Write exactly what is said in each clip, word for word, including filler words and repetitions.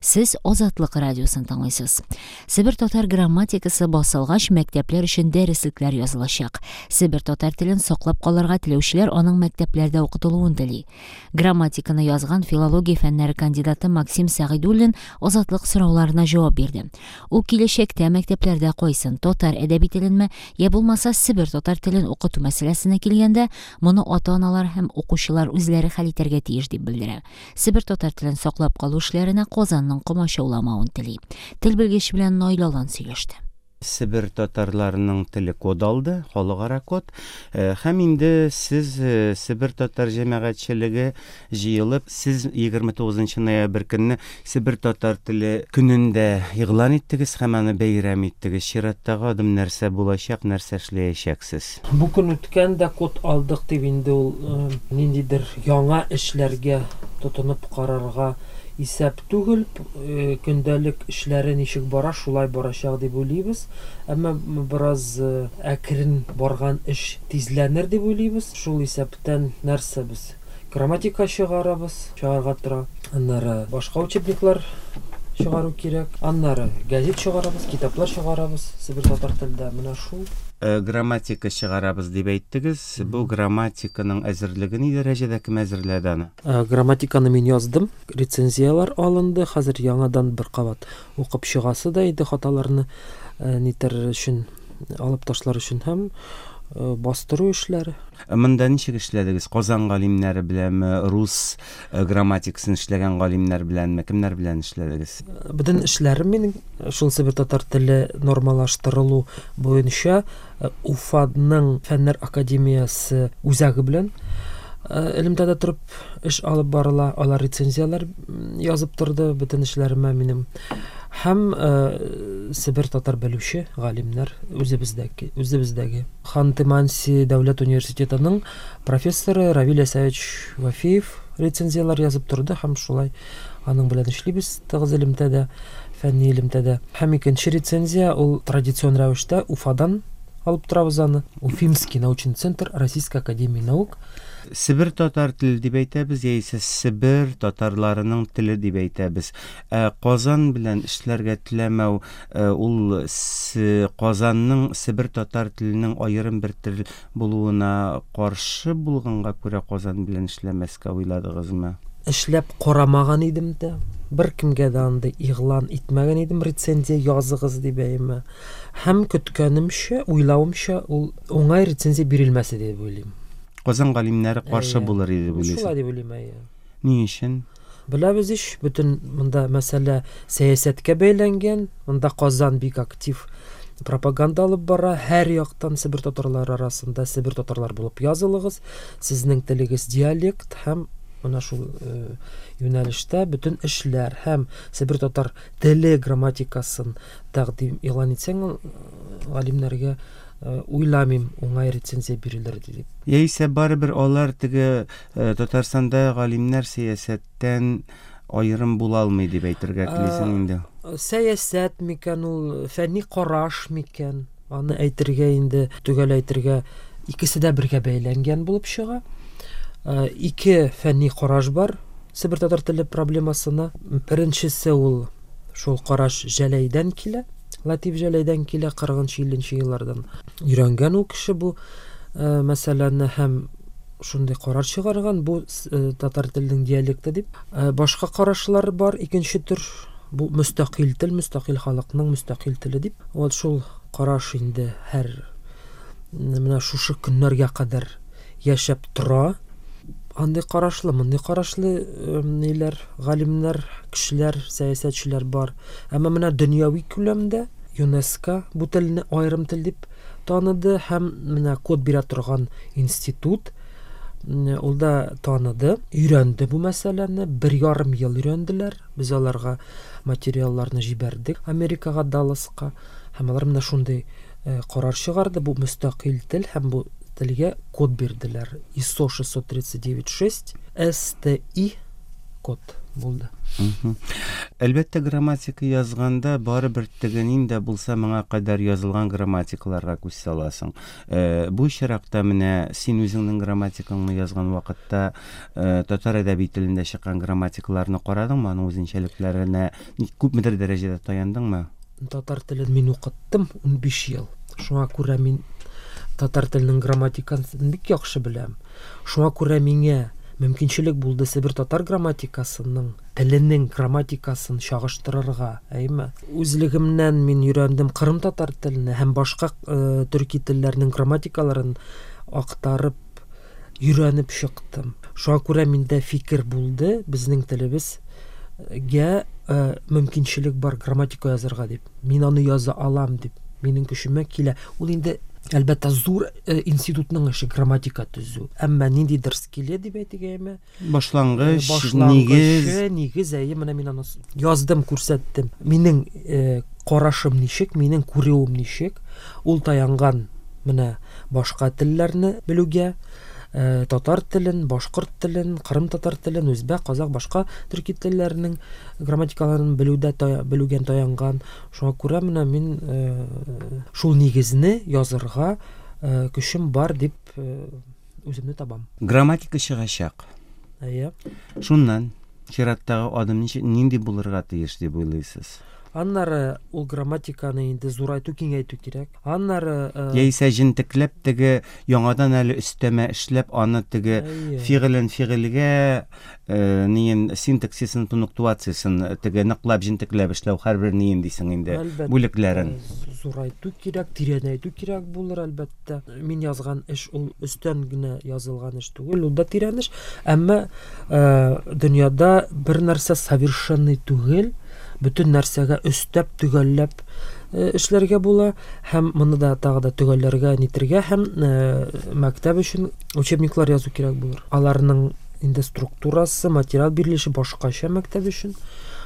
Сез Азатлык радиосын тыңлыйсыз. Себер татар грамматикасы басылгач, мәктәпләр өчен дәреслекләр язылачак. Себер татар телен саклап калырга теләүчеләр аның мәктәпләрдә укытылуын тели. Грамматиканы язган филология фәннәре кандидаты Максим Сәгыйдуллин Азатлык сорауларына җавап бирде. Ул киләчәктә мәктәпләрдә кайсын татар әдәби теленме, я булмаса Себер татар телен укыту мәсьәләсенә килгәндә, моны ата-аналар һәм укучылар үзләре хәл итәргә тиеш дип белдерә. Себер татар телен саклап калу эшләренә Казанның комачауламавын тели. Тел белгече белән Наил Алан сөйләште. Себер татарларының теле код алды, халыкара код. Һәм инде сез Себер татар җәмәгатьчелеге җыелып, сез егерме тугызынчы ноябрь көнне Себер татар теле көнендә игълан иттегез һәм аны бәйрәм иттегез. Чираттагы адым нәрсә булачак, нәрсә эшләячәксез? Бу көн үткәндә код алдык дип инде ул ниндидер яңа эшләргә тотынып карарга исәп түгел, көндәлек эшләре ничек бара, шулай барачак дип уйлыйбыз. Әмма бераз әкрен барган эш тизләнер дип уйлыйбыз. Шул исәптән нәрсә без? Грамматика чыгарабыз, чыгарга тора. Аннары башка учебниклар чыгару кирәк. Аннары газет чыгарабыз, китаплар чыгарабыз Себер татар телендә. Менә шул. Грамматика чыгарабыз дип әйттегез. Бу грамматиканың әзерлеге ни дәрәҗәдә, кем әзерләде аны? Грамматиканы мин яздым, рецензияләр алынды. Хәзер яңадан бер кабат укып чыгасы да иде, хаталарны нитәр өчен, алып ташлар өчен һәм бастыру эшләре. Монда ничек эшләдегез? Казан галимнәре беләнме, рус грамматикасын эшләгән галимнәр беләнме, кемнәр белән эшләдегез? Бөтен эшләрем минем шул Себер татар теле нормалаштырылу буенча Уфаның Фәннәр академиясе үзәге белән элемтәдә торып эш алып барыла. Алар рецензияләр язып торды бөтен эшләремә минем. Һәм Себер татар белүче галимнәр үзебездәге, үзебездәге Ханты-Манси дәүләт университетының профессоры Равиль Әсәевич Вафеев рецензияләр язып торды һәм шулай аның белән эшлибез тыгыз элемтәдә, фәнни элемтәдә. Һәм икенче рецензия ул традицион рәвештә Уфадан алып торабыз аны. Уфимский научный центр Российской академии наук. Себер татар теле дип әйтәбез, яисә Себер татарларының теле дип әйтәбез. Ә Казан белән эшләргә теләмәү, ул Казанның Себер татар теленең аерым бер тел булуына каршы булганга күрә Казан белән эшләмәскә уйладыгызмы? Эшләп карамаган идем дә, бер кемгә дә андый игълан итмәгән идем, рецензия языгыз дип әйме. Һәм көткәнемчә, уйлавымча, ул уңай рецензия бирелмәсе дип уйлыйм. Казан галимнәре каршы булыр иде дип уйлыйсыз? Шулай дип уйлыйм, әйе. Ни өчен? Беләбез ич, бөтен монда мәсьәлә сәясәткә бәйләнгән. Монда Казан бик актив пропаганда алып бара. Һәр яктан Себер татарлары арасында Себер татарлар булып язылыгыз. Сезнең телегез диалект һәм менә шул юнәлештә бөтен эшләр һәм Себер татар теле грамматикасын тәкъдим игълан итсәң, галимнәргә уйламыйм уңай рецензия бирелер дип. Яисә барыбер алар теге Татарстанда галимнәр сәясәттән аерым була алмый дип әйтергә телисең инде. Сәясәт микән ул, фәнни караш микән? Аны әйтергә инде, төгәл әйтергә, икесе дә бергә бәйләнгән булып чыга. Ике фәнни караш бар Себер татар теле проблемасына. Беренчесе ул шул караш Җәләйдән килә. Латиф Җәләйдән килә, кырыгынчы илленче еллардан өйрәнгән ул кеше бу мәсьәләне һәм шундый карар чыгарган, бу татар теленең диалекты дип. Башка карашлар бар, икенче төр, бу мөстәкыйль тел, мөстәкыйль халыкның мөстәкыйль теле дип. Вот шул караш инде һәр менә шушы көннәргә кадәр яшәп тора. Андый карашлы, мондый карашлы ниләр, галимнәр, кешеләр, сәясәтчеләр бар. Әмма менә дөньяви күләмдә ЮНЕСКО бу телне аерым тел дип таныды һәм менә код бирә торган институт ул да таныды, өйрәнде бу мәсьәләне, бер ярым ел өйрәнделәр. Без аларга материалларны җибәрдек Америкага, Далласка, һәм алар менә шундый карар чыгарды, бу мөстәкыйль тел һәм бу телгә код бирделәр. ИСО шестьсот тридцать девять шесть эс тэ и код булды. Әлбәттә, грамматика язганда барыбер теге нинди булса моңа кадәр язылган грамматикаларга күз саласың. Э, бу очракта менә син үзеңнең грамматикаңны язган вакытта э, татар әдәби телендә чыккан грамматикаларны карадыңмы? Аның үзенчәлекләренә күпмедер дәрәҗәдә таяндыңмы? Татар телен мин укыттым унбиш ел. Шуңа күрә мин татар теленең грамматикасын бик яхшы беләм. Шуңа күрә миңа мөмкинчелек булды Себер татар грамматикасының теленең грамматикасын чагыштырырга, әйме? Үзлегемнән мин өйрәндем кырым татар телене һәм башка э, төрки телләрнең грамматикаларын актарып өйрәнеп чыктым. Шуңа күрә миндә фикер булды, безнең телебезгә э, мөмкинчелек бар грамматика язарга дип. Мин аны яза алам дип. Минем көчемә килә. Ул инде әлбәттә зур э, институтның эше грамматика төзү. Әмма ниндидер скелет дип әйтик, әйме? Башлангыч, нигез, нигез, әйе, менә мин аны яздым, күрсәттем. Минем э, карашым ничек, минем күрүем ничек, ул таянган менә башка телләрне белүгә, э, татар телен, башкорт телен, кырым татар телен, үзбәк, казак, башка төрки телләренең грамматикаларын белүдә тая, белүгән таянган. Шуңа күрә менә мин э, шул нигезне язырга э, көчем бар дип э, үземне табам. Грамматика чыгачак. Әйе. Шуннан чираттагы адым ничек, нинди булырга тиеш дип уйлыйсыз? Аннары ул грамматиканы инде зурайту, киңәйтү кирәк. Аннары э, яисә җентекләп теге яңадан әле өстәмә эшләп аны теге фигылен фигыльгә э, ниен синтаксисын, пунктуациясын теге ныклап җентекләп эшләү һәрбер ниен дисең инде бүлекләрен. Зурайту кирәк, тирәнәйтү кирәк булыр әлбәттә. Мин язган эш ул өстән генә язылган эш түгел, ул да тирән эш. Әмма э, дөньяда бер нәрсә совершенный түгел. Бөтен нәрсәгә өстәп, төгәлләп эшләргә була һәм моны да тагы да төгәлләргә, нитергә һәм мәктәп өчен учебниклар язу кирәк булыр. Аларның инде структурасы, материал бирелеше башкача мәктәп өчен.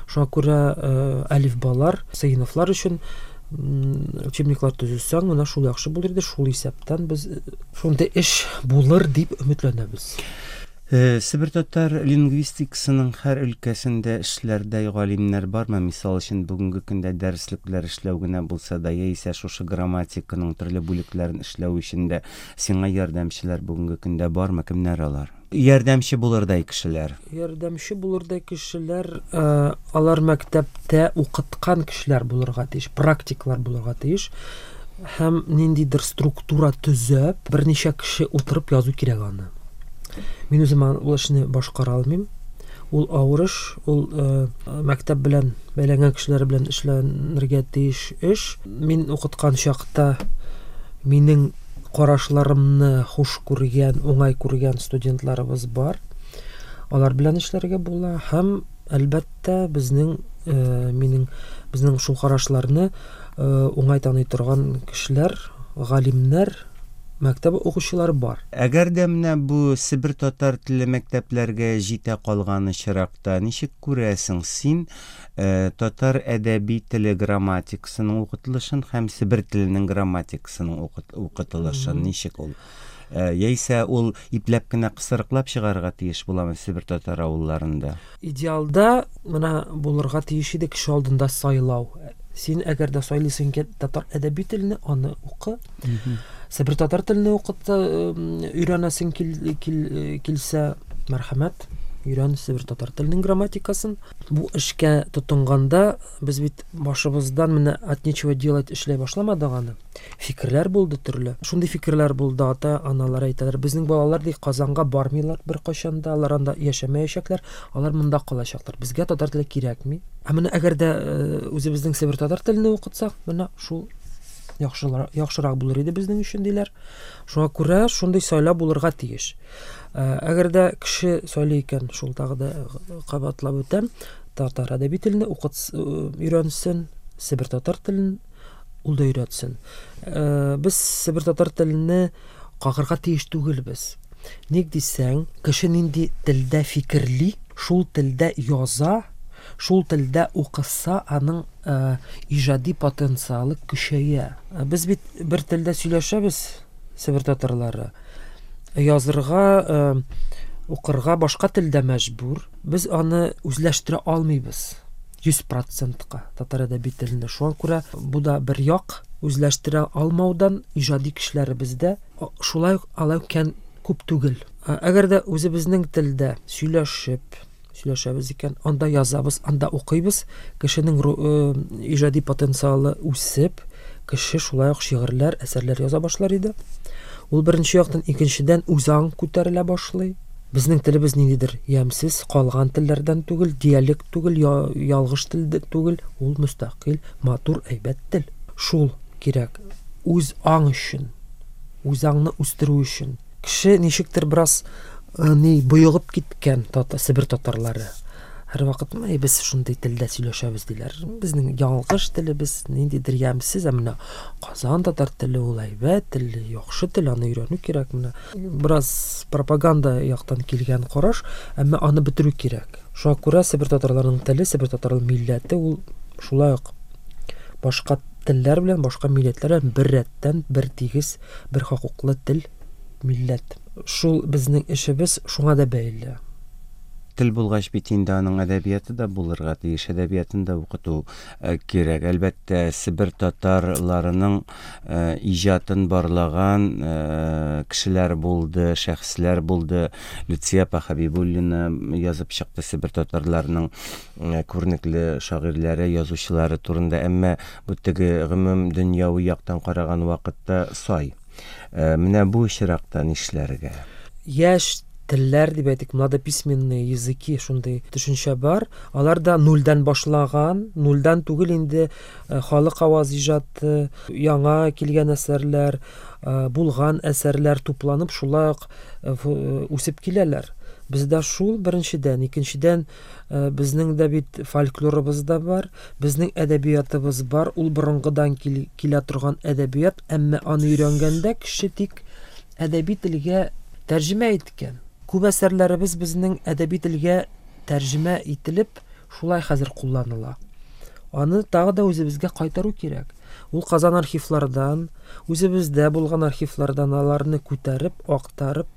Шуңа күрә әлифбалар, сыйныфлар өчен учебниклар төзесәң, менә шул яхшы булыр иде. Шул исәптән без шундый эш булыр дип өметләнәбез. Себер татар лингвистикасының һәр өлкәсендә эшләрдә галимнәр бармы? Мисал өчен, бүгенге көндә дәреслекләр эшләү генә булса да, яисә шушы грамматиканың төрле бүлекләрен эшләү өчен дә сиңа ярдәмчеләр бүгенге көндә бармы? Кемнәр алар? Ярдәмче булырдай кешеләр. Ярдәмче булырдай кешеләр, алар мәктәптә укыткан кешеләр булырга тиеш, практиклар булырга тиеш. Һәм ниндидер структура төзеп, берничә кеше утырып язу кирәк аны. Мин үзем ул эшне башкара алмыйм. Ул авыр эш, ул э, мәктәп белән бәйләнгән кешеләр белән эшләнергә тиеш эш. Мин укыткан чакта минем карашларымны хуш күргән, уңай күргән студентларыбыз бар. Алар белән эшләргә була һәм әлбәттә безнең э, минем безнең шул карашларны э, уңай таный торган кешеләр, галимнәр, мәктәп укучылары бар. Әгәр дә менә бу Себер татар теле мәктәпләргә җитә калган очракта, ничек күрәсең син э, татар әдәби теле грамматикасының укытылышын һәм Себер теленең грамматикасының укытылышын, ничек ул? Э, яисә ул ипләп кенә кысрыклап чыгарга тиеш буламы Себер татар авылларында? Идеалда менә булырга тиеш иде кеше алдында сайлау. Син әгәр дә сайлыйсың икән татар әдәби телене, аны укы. Себер татар телене укыта, өйрәнәсең кил, кил, килсә, мәрхәмәт, өйрән Себер татар теленең грамматикасын. Бу эшкә тотынганда без бит башыбыздан менә от нечего делать эшләй башламадык аны. Фикерләр булды төрле. Шундый фикерләр булды, ата-аналар әйтәләр, безнең балалар ди Казанга бармыйлар беркайчан да, алар анда яшәмәячәкләр, алар монда калачаклар. Безгә татар теле кирәкми. Ә менә әгәр дә үзебезнең Себер татар телене укытсак, менә шул яхшырак, яхшырак булыр иде безнең өчен диләр. Шуңа күрә шундый сайлау булырга тиеш. Әгәр дә кеше сайлый икән, шул тагы да кабатлап үтәм, татар әдәби телене укыт, өйрәнсен, Себер татар телен ул да өйрәтсен. Без Себер татар телене кагырга тиеш түгелбез. Ник дисәң, кеше нинди телдә фикерли, шул телдә яза, шул телдә укыса, аның э, иҗади потенциалы көчәя. Без бит бер телдә сөйләшәбез, Себер татарлары. Язырга э, укырга башка телдә мәҗбүр. Без аны үзләштерә алмыйбыз йөз процентка татар әдәби теленә. Шуңа күрә бу да бер як үзләштерә алмаудан иҗади кешеләребездә шулай ук алай кән күп түгел. Әгәр дә үзебезнең телдә сөйләшеп, сөйләшәбез икән, анда язабыз, анда укыйбыз, кешенең иҗади потенциалы үсеп, кеше шулай ук шигырьләр, әсәрләр яза башлар иде. Ул беренче яктан, икенчедән үзаң күтәрелә башлый. Безнең телебез ниндидер ямьсез калган телләрдән түгел, диалект түгел, ялгыш тел түгел, ул мөстәкыйль, матур, әйбәт тел. Шул кирәк. Үз аң өчен, үз аңны үстерү өчен. Кеше ничектер бераз ни боегып киткән тата, Себер татарлары. Һәрвакыт менә без шундый телдә сөйләшәбез диләр. Безнең ялгыш телебез ниндидер ямьсез, ә менә Казан татар теле ул әйбәт тел, яхшы тел, аны өйрәнү кирәк менә. Бераз пропаганда яктан килгән караш, әмма аны бетерү кирәк. Шуңа күрә Себер татарларының теле, Себер татар милләте ул шулай ук башка телләр белән, башка милләтләр белән бер рәттән, бер тигез, бер хокуклы тел, милләт. Шул безнең эшебез шуңа да бәйле. Тел булгач бит инде аның әдәбияты да булырга тиеш, әдәбиятын да укыту кирәк. Әлбәттә, Себер татарларының иҗатын барлаган кешеләр булды, шәхесләр булды. Люция апа Хәбибуллина язып чыкты Себер татарларының күренекле шагыйрьләре, язучылары турында. Әмма бу теге гомум дөньяви яктан караган вакытта сай. Менә бу очракта нишләргә? Яшь телләр дип әйтик, младописьменные языки шундый төшенчә бар. Алар да нульдән башлаган, нульдән түгел инде халык аваз иҗаты, яңа килгән әсәрләр, булган әсәрләр тупланып шулай ук үсеп киләләр. Бездә шул беренчедән, икенчедән безнең дә бит фольклорыбыз да бар, безнең әдәбиятыбыз бар, ул борынгыдан килә торган әдәбият, әмма аны өйрәнгәндә кеше тик әдәби телгә тәрҗемә иткән. Күп әсәрләребез безнең әдәби телгә тәрҗемә ителеп, шулай хәзер кулланыла. Аны тагы да үзебезгә кайтару кирәк. Ул Казан архивлардан, үзебездә булган архивлардан аларны күтәреп, актарып,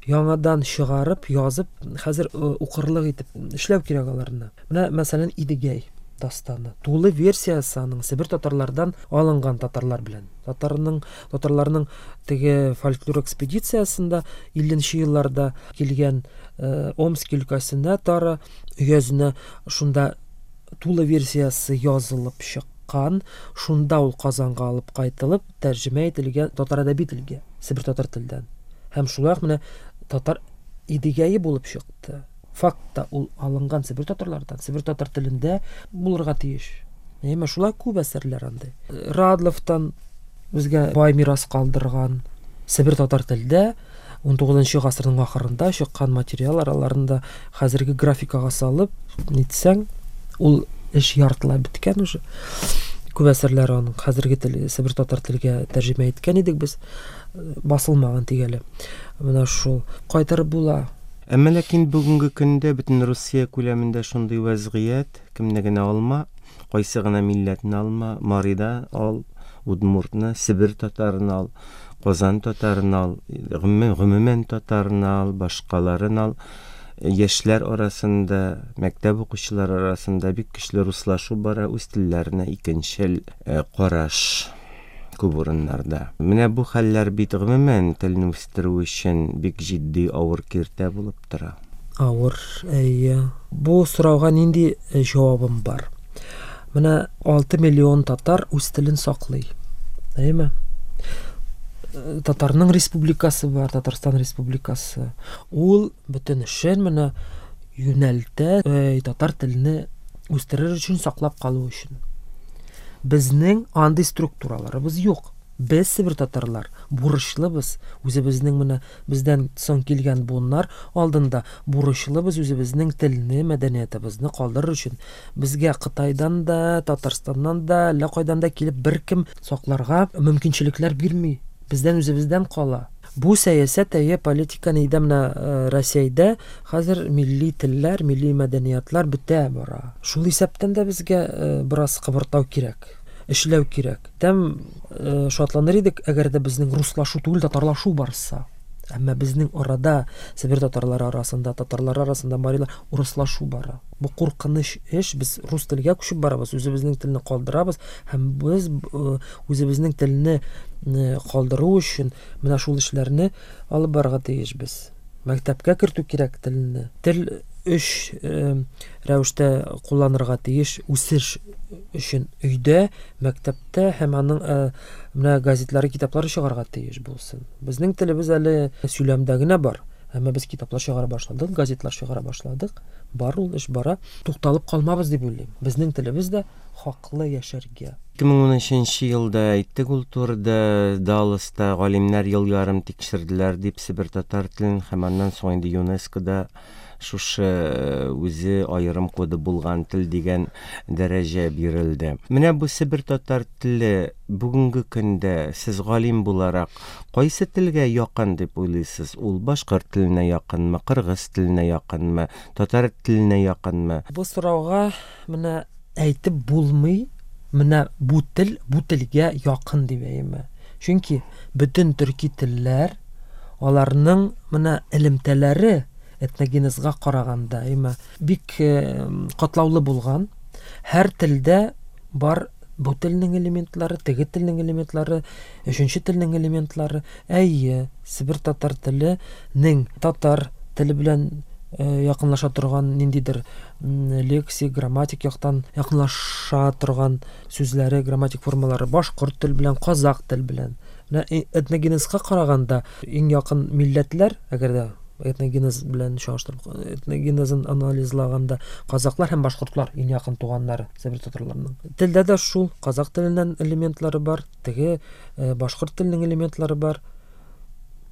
яңадан чыгарып, язып, хәзер укырлык итеп эшләү кирәк аларны. Менә, мәсәлән, Идегәй дастаны. Тулы версиясе аның Себер татарлардан алынган татарлар белән. Татарның, татарларның теге фольклор экспедициясендә илленче елларда килгән Омск өлкәсенә, Тара өязенә шунда тулы версиясе язылып чыккан, шунда ул Казанга алып кайтылып, тәрҗемә ителгән татар әдәби телгә, Себер татар телдән. Һәм шулай ук менә татар Идегәе булып чыкты. Фактта ул алынган Себер татарлардан, Себер татар телендә булырга тиеш. Әмма шулай күп әсәрләр андый. Радловтан безгә бай мирас калдырган Себер татар телдә ун тугызынчы гасырның ахырында чыккан материаллар, аларны да хәзерге графикага салып нитсәң, ул эш яртылай беткән уже. Күп әсәрләр аның хәзерге тел, Себер татар телгә тәрҗемә иткән идек без, басылмаган тигәле. Менә шул кайтарып була. Әмма ләкин бүгенге көндә бөтен Русия күләмендә шундый вәзгыять, кемне генә алма, кайсы гына милләтне алма, Марида ал, Удмуртны, Себер татарын ал, Казан татарын ал, гомумән, гомумән татарын ал, башкаларын ал. Яшьләр арасында, мәктәп укучылары арасында бик көчле руслашу бара, үз телләренә икенчел караш күп урыннарда. Менә бу хәлләр бит гомумән телне үстерү өчен бик җитди авыр киртә булып тора. Авыр, әйе. Бу сорауга нинди җавабым бар? Менә алты миллион татар үз телен саклый. Әйеме? Татарның республикасы бар, Татарстан республикасы. Ул бөтен эшен менә юнәлтә, татар телене үстерер өчен, саклап калу өчен. Безнең андый структураларыбыз юк. Без Себер татарлар бурычлыбыз. Үзебезнең менә бездән соң килгән буыннар алдында бурычлыбыз үзебезнең телне, мәдәниятебезне калдырыр өчен. Безгә Кытайдан да, Татарстаннан да, әллә кайдан да килеп беркем сакларга мөмкинчелекләр бирми. Бездән үзебездән кала. Бу сәясәт, әйе, политика нидә менә Россиядә хәзер милли телләр, милли мәдәниятлар бетә бара. Шул исәптән дә безгә бераз кыбыртау кирәк, эшләү кирәк. Тәм шатланыр идек, әгәр дә безнең руслашу түгел, татарлашу барса. Әмма безнең арада, Себер татарлары арасында, татарлар арасында, марилар урыслашу бара. Бу куркыныч эш. Без рус телгә күчеп барабыз, үзебезнең телне калдырабыз һәм без үзебезнең телне калдыру өчен менә шул эшләрне алып барырга тиешбез. Мәктәпкә кертү кирәк телне. Тел өч рәвештә кулланырга тиеш үсеш өчен: өйдә, мәктәптә һәм аның менә газетлары, китаплары чыгарга тиеш булсын. Безнең телебез әле сөйләмдә генә бар, әмма без китаплар чыгара башладык, газетлар чыгара башладык. Бар ул эш бара. Тукталып калмабыз дип уйлыйм. Безнең телебез дә хаклы яшәргә. ике мең унөченче елда әйттек ул турыда, Далласта галимнәр ел ярым тикшерделәр дип Себер татар телен һәм аннан соң инде ЮНЕСКОда шушы үзе аерым коды булган тел дигән дәрәҗә бирелде. Менә бу Себер татар теле бүгенге көндә сез галим буларак кайсы телгә якын дип уйлыйсыз? Ул башкорт теленә якынмы, кыргыз теленә якынмы, татар теленә якынмы? Бу сорауга менә әйтеп булмый, менә бу тел бу телгә якын дип әйтмә. Чөнки бөтен төрки телләр аларның менә элемтәләре этногенезга караганда, әйме, бик катлаулы булган. Һәр телдә бар бу телнең элементлары, теге телнең элементлары, өченче телнең элементлары. Әйе, Себер татар теленең татар теле белән якынлаша торган ниндидер лексик, грамматик яктан якынлаша торган сүзләре, грамматик формалары башкорт тел белән, казак тел белән. Менә этногенезга караганда иң якын милләтләр, әгәр дә этногенез белән чагыштырып, этногенезын анализлаганда казаклар һәм башкортлар иң якын туганнары Себер татарларының. Телдә дә шул казак теленнән элементлары бар, теге башкорт теленең элементлары бар.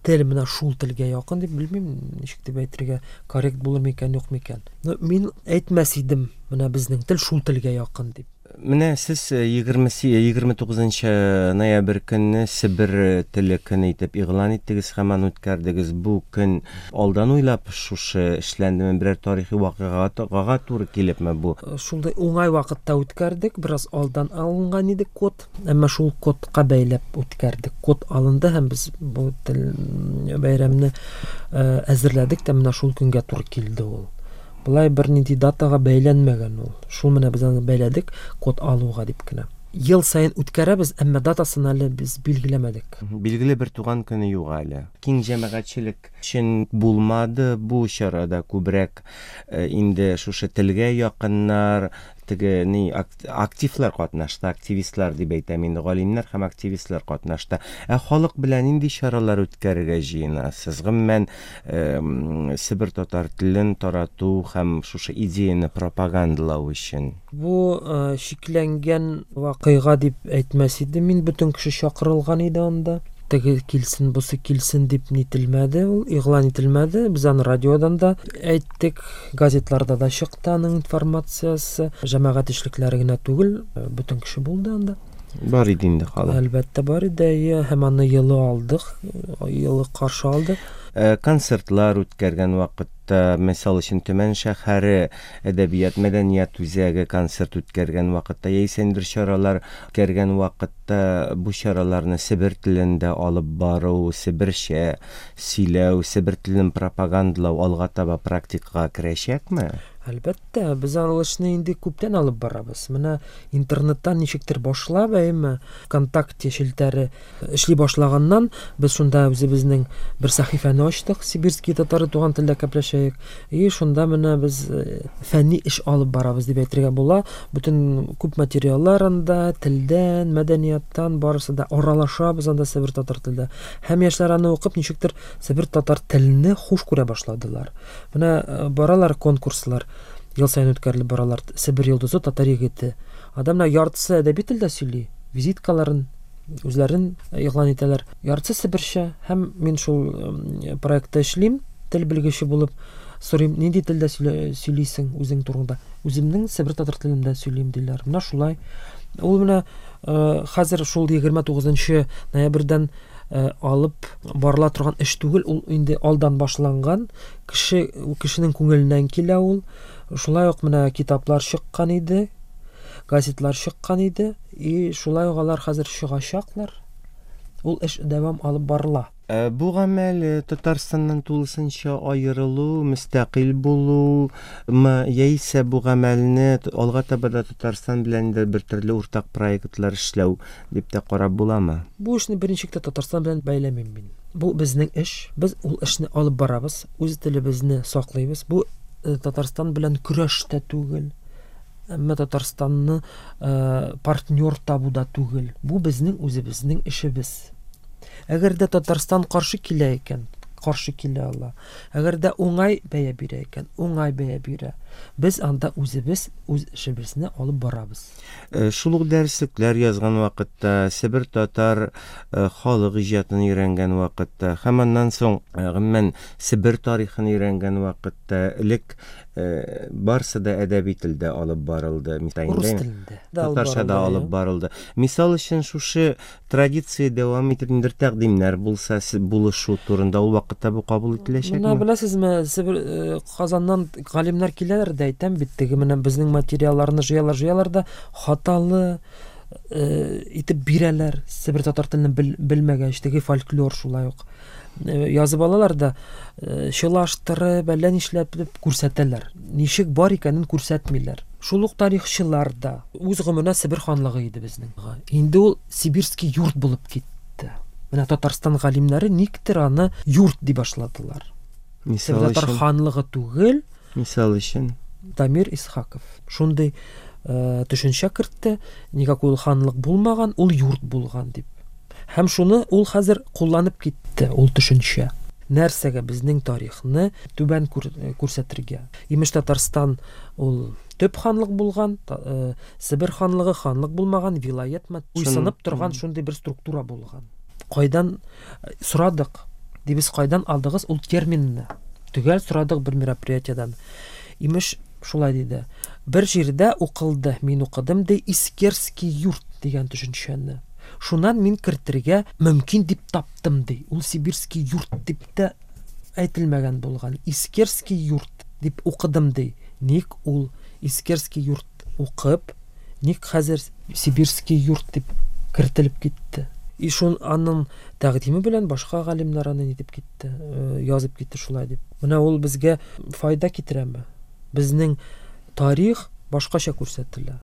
Тел менә шул телгә якын дип белмим, ничек дип әйтергә коррект булыр микән, юк микән. Но мин әйтмәс идем, менә безнең тел шул телгә якын дип. Менә сез егерме егерме тугызынчы ноябрь көнне Себер теле көне итеп игълан иттегез һәм аны үткәрдегез. Бу көн алдан уйлап шушы эшләндеме, берәр тарихи вакыйгага туры килепме бу? Шундый уңай вакытта үткәрдек, бераз алдан алынган иде код, әмма шул кодка бәйләп үткәрдек. Код алынды һәм без бу тел бәйрәмне әзерләдек тә, менә шул көнгә туры килде ул. Былай бер нинди датага бәйләнмәгән ул. Шул менә без аны бәйләдек код алуга дип кенә. Ел саен үткәрәбез, әмма датасын әле без билгеләмәдек. Билгеле бер туган көне юк әле. Киң җәмәгатьчелек өчен булмады бу чарада, күбрәк инде шушы телгә якыннар, теге ни активлар катнашты, активистлар дип әйтәм инде, галимнәр һәм активистлар катнашты. Ә халык белән нинди чаралар үткәрергә җыенасыз? Гомумән, Себер татар телен тарату һәм шушы идеяны пропагандалау өчен. Бу шикләнгән вакыйга дип әйтмәс идем мин, бөтен кеше чакырылган иде анда. Теге килсен, бусы килсен дип нителмәде, ул игълан ителмәде. Без аны радиодан да әйттек, газетларда да чыкты аның информациясе. Җәмәгать эшлекләре генә түгел, бөтен кеше булды анда. Бар иде инде халык. Әлбәттә бар иде, һәм аны елы алдык, елы каршы алдык. Концертлар үткәргән вакытта, мисал өчен, Төмән шәһәре әдәбият мәдәният үзәге концерт үткәргән вакытта, яисә ниндидер чаралар үткәргән вакытта бу чараларны Себер телендә алып бару, себерчә сөйләү, себер телен пропагандалау алга таба практикага керәчәкме? Әлбәттә, без аны эшне инде күптән алып барабыз. Менә интернеттан ничектер башлап, әйме, ВКонтакте челтәре эшли башлаганнан без шунда үзебезнең бер сәхифәне ачтык, Сибирские татары туган телдә кәпләшәйек. И шунда менә без фәнни эш алып барабыз дип әйтергә була. Бөтен күп материаллар анда, телдән, мәдәнияттан барысы да аралашабыз анда Себер татар телдә. Һәм яшьләр аны укып ничектер Себер татар телене хуш күрә башладылар. Менә баралар конкурслар, ел саен үткәрелеп баралар. Себер йолдызы, татар егете. Адамнар яртысы әдәби телдә сөйли, визиткаларын үзләрен игълан итәләр. Яртысы себерчә. Һәм мин шул проектта эшлим, тел белгече булып. Сорыйм, нинди телдә сөйлисең үзең турында? Үземнең себер татар телендә сөйлим диләр. Менә шулай. Ул менә хәзер шул егерме тугызынчы ноябрьдән алып барыла торган эш түгел, ул инде алдан башланган, кеше, кешенең күңеленнән килә ул. Шулай ук менә китаплар чыккан иде, газетлар чыккан иде, и шулай ук алар хәзер чыгачаклар. Ул эш дәвам алып барыла. Э, бу гамәл э, Татарстаннан тулысынча аерылу, мөстәкыйль булумы, яисә бу гамәлне алга таба да Татарстан белән дә бер төрле уртак проектлар эшләү дип тә карап буламы? Бу эшне берничек тә Татарстан белән бәйләмим мин. Бу безнең эш. Без ул эшне алып барабыз, үз телебезне саклыйбыз. Бу э, Татарстан белән көрәш тә түгел. Әмма Татарстанны э, партнер табу да түгел. Бу безнең үзебезнең эшебез. Әгәр дә Татарстан каршы килә икән, каршы килә ала. Әгәр дә уңай бәя бирә икән, уңай бәя бирә. Без анда үзебез үз эшебезне алып барабыз. Э, шул ук дәреслекләр язган вакытта, Себер татар э, халык иҗатын өйрәнгән вакытта һәм аннан соң э, гомумән Себер тарихын өйрәнгән вакытта элек барсы да әдәби телдә алып барылды. Рус телендә. Татарча да алып барылды. Мисал өчен, шушы традиция дәвам итеп ниндидер тәкъдимнәр булса, булышу турында ул вакытта бу кабул ителәчәкме? Менә беләсезме, Себер Казаннан галимнәр киләләр дә, әйтәм бит, теге менә безнең материалларны җыялар, җыялар да хаталы итеп бирәләр. Себер татар телен белмәгәч, теге фольклор шулай ук язып алалар да, чылаштырып, әллә нишләп күрсәтәләр. Ничек бар икәнен күрсәтмиләр. Шул ук тарихчылар да үз гомеренә Себер ханлыгы иде безнең. Инде ул Сибирский юрт булып китте. Менә Татарстан галимнәре никтер аны юрт дип башладылар. Мисал Татар ханлыгы түгел. Мисал өчен Дамир Исхаков шундый төшенчә кертте, никакой ул ханлык булмаган, ул юрт булган дип. Һәм шуны ул хәзер кулланып китте, ул төшенчә. Нәрсәгә безнең тарихны түбән күрсәтергә? Имеш, Татарстан ул төп ханлык булган, Себер ханлыгы ханлык булмаган, вилаятмы, буйсынып торган шундый бер структура булган. Кайдан сорадык? Дибез, кайдан алдыгыз ул терминны? Төгәл сорадык бер мероприятиедән. Имеш, шулай диде. Бер җирдә укылды, мин укыдым ди, Искерский юрт дигән төшенчәне. Шуннан мин кертергә мөмкин дип таптым ди. Ул Сибирский юрт дип тә әйтелмәгән булган. Искерский юрт дип укыдым ди. Ник ул Искерский юрт укып, ник хәзер Сибирский юрт дип кертелеп китте? И шун аның тәкъдиме белән башка галимнәр аны нитеп китте, язып китте шулай дип. Менә ул безгә файда китерәме? Безнең тарих башкача күрсәтелә.